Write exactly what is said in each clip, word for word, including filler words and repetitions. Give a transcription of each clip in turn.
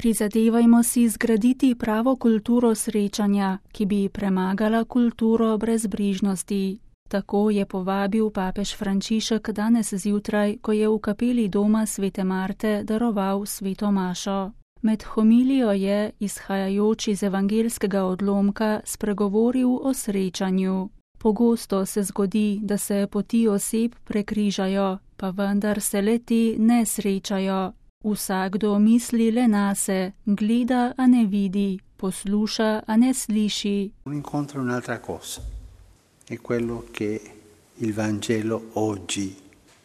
Prizadevajmo si zgraditi pravo kulturo srečanja, ki bi premagala kulturo brezbrižnosti. Tako je povabil papež Frančišek danes zjutraj, ko je v kapeli doma svete Marte daroval sveto mašo. Med homilijo je, izhajajoč iz evangeljskega odlomka, spregovoril o srečanju. Pogosto se zgodi, da se poti oseb prekrižajo, pa vendar se le-te ne srečajo. Vsakdo misli le nase, gleda, a ne vidi, posluša, a ne sliši. Un incontro è un'altra cosa. È quello che il Vangelo oggi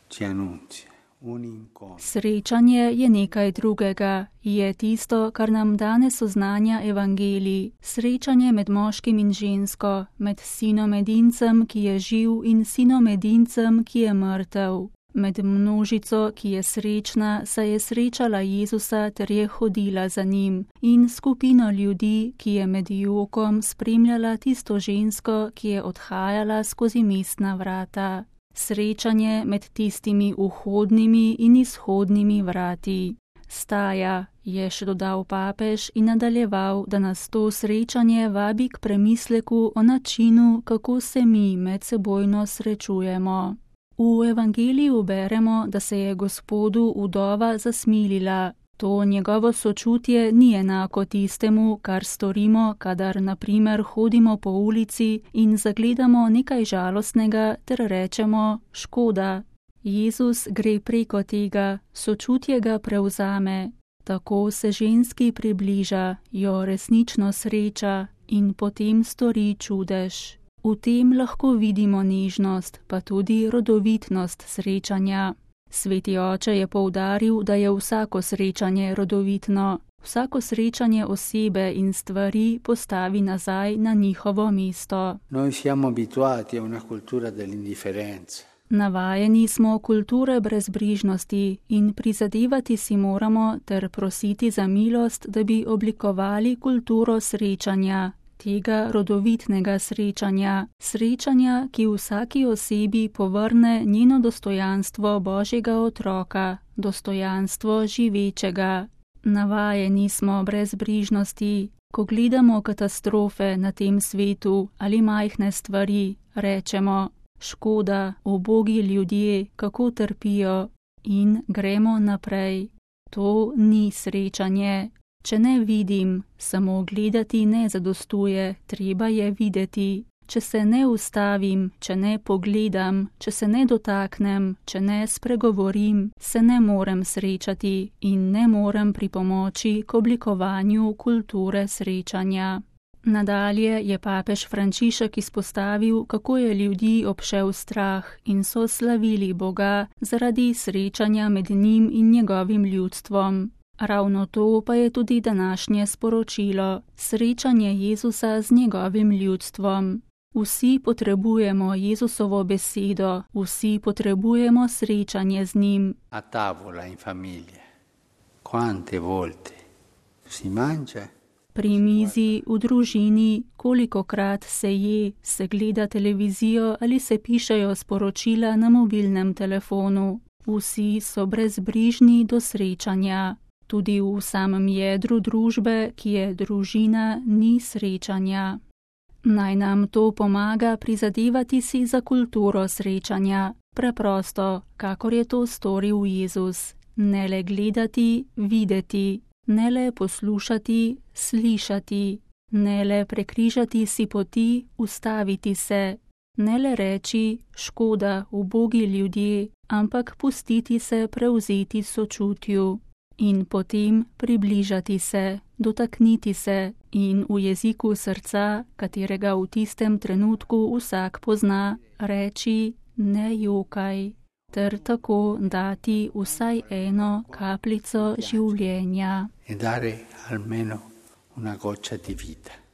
ci annunzia. Un incontro. Srečanje je nekaj drugega, je tisto, kar nam danes oznanja evangelij. Srečanje med moškim in žensko, med sinom edincem, ki je živ, in sinom edincem, ki je mrtev. Med množico, ki je srečna, saj je srečala Jezusa ter je hodila za njim, in skupino ljudi, ki je med jokom spremljala tisto žensko, ki je odhajala skozi mestna vrata. Srečanje med tistimi vhodnimi in izhodnimi vrati. Staja, je še dodal papež in nadaljeval, da nas to srečanje vabi k premisleku o načinu, kako se mi medsebojno srečujemo. V evangeliju beremo, da se je Gospodu vdova zasmilila. To njegovo sočutje ni enako tistemu, kar storimo, kadar na primer hodimo po ulici in zagledamo nekaj žalostnega ter rečemo škoda. Jezus gre preko tega, sočutje ga prevzame. Tako se ženski približa, jo resnično sreča in potem stori čudež. V tem lahko vidimo nežnost, pa tudi rodovitnost srečanja. Sveti oče je poudaril, da je vsako srečanje rodovitno. Vsako srečanje osebe in stvari postavi nazaj na njihovo mesto. Noi siamo abituati a una cultura dell'indifferenza. Navajeni smo kulture brezbrižnosti in prizadevati si moramo ter prositi za milost, da bi oblikovali kulturo srečanja. Tega rodovitnega srečanja, srečanja, ki vsaki osebi povrne njeno dostojanstvo Božjega otroka, dostojanstvo živečega. Navajeni smo brezbrižnosti, ko gledamo katastrofe na tem svetu ali majhne stvari, rečemo, škoda, ubogi ljudje, kako trpijo, in gremo naprej. To ni srečanje. Če ne vidim, samo gledati ne zadostuje, treba je videti. Če se ne ustavim, če ne pogledam, če se ne dotaknem, če ne spregovorim, se ne morem srečati in ne morem pripomoči k oblikovanju kulture srečanja. Nadalje je papež Frančišek izpostavil, kako je ljudi obšel strah in so slavili Boga zaradi srečanja med njim in njegovim ljudstvom. Ravno to pa je tudi današnje sporočilo, srečanje Jezusa z njegovim ljudstvom. Vsi potrebujemo Jezusovo besedo, vsi potrebujemo srečanje z njim. A tavola in famiglia. Quante volte si mangia? Pri mizi, v družini, kolikokrat se je, se gleda televizijo ali se pišejo sporočila na mobilnem telefonu. Vsi so brezbrižni do srečanja. Tudi v samem jedru družbe, ki je družina, ni srečanja. Naj nam to pomaga prizadevati si za kulturo srečanja, preprosto, kakor je to storil Jezus. Ne le gledati, videti, ne le poslušati, slišati, ne le prekrižati si poti, ustaviti se, ne le reči, škoda, ubogi ljudje, ampak pustiti se prevzeti sočutju. In potem približati se, dotakniti se in v jeziku srca, katerega v tistem trenutku vsak pozna, reči ne jokaj, ter tako dati vsaj eno kapljico življenja. E dare almeno una goccia di vita.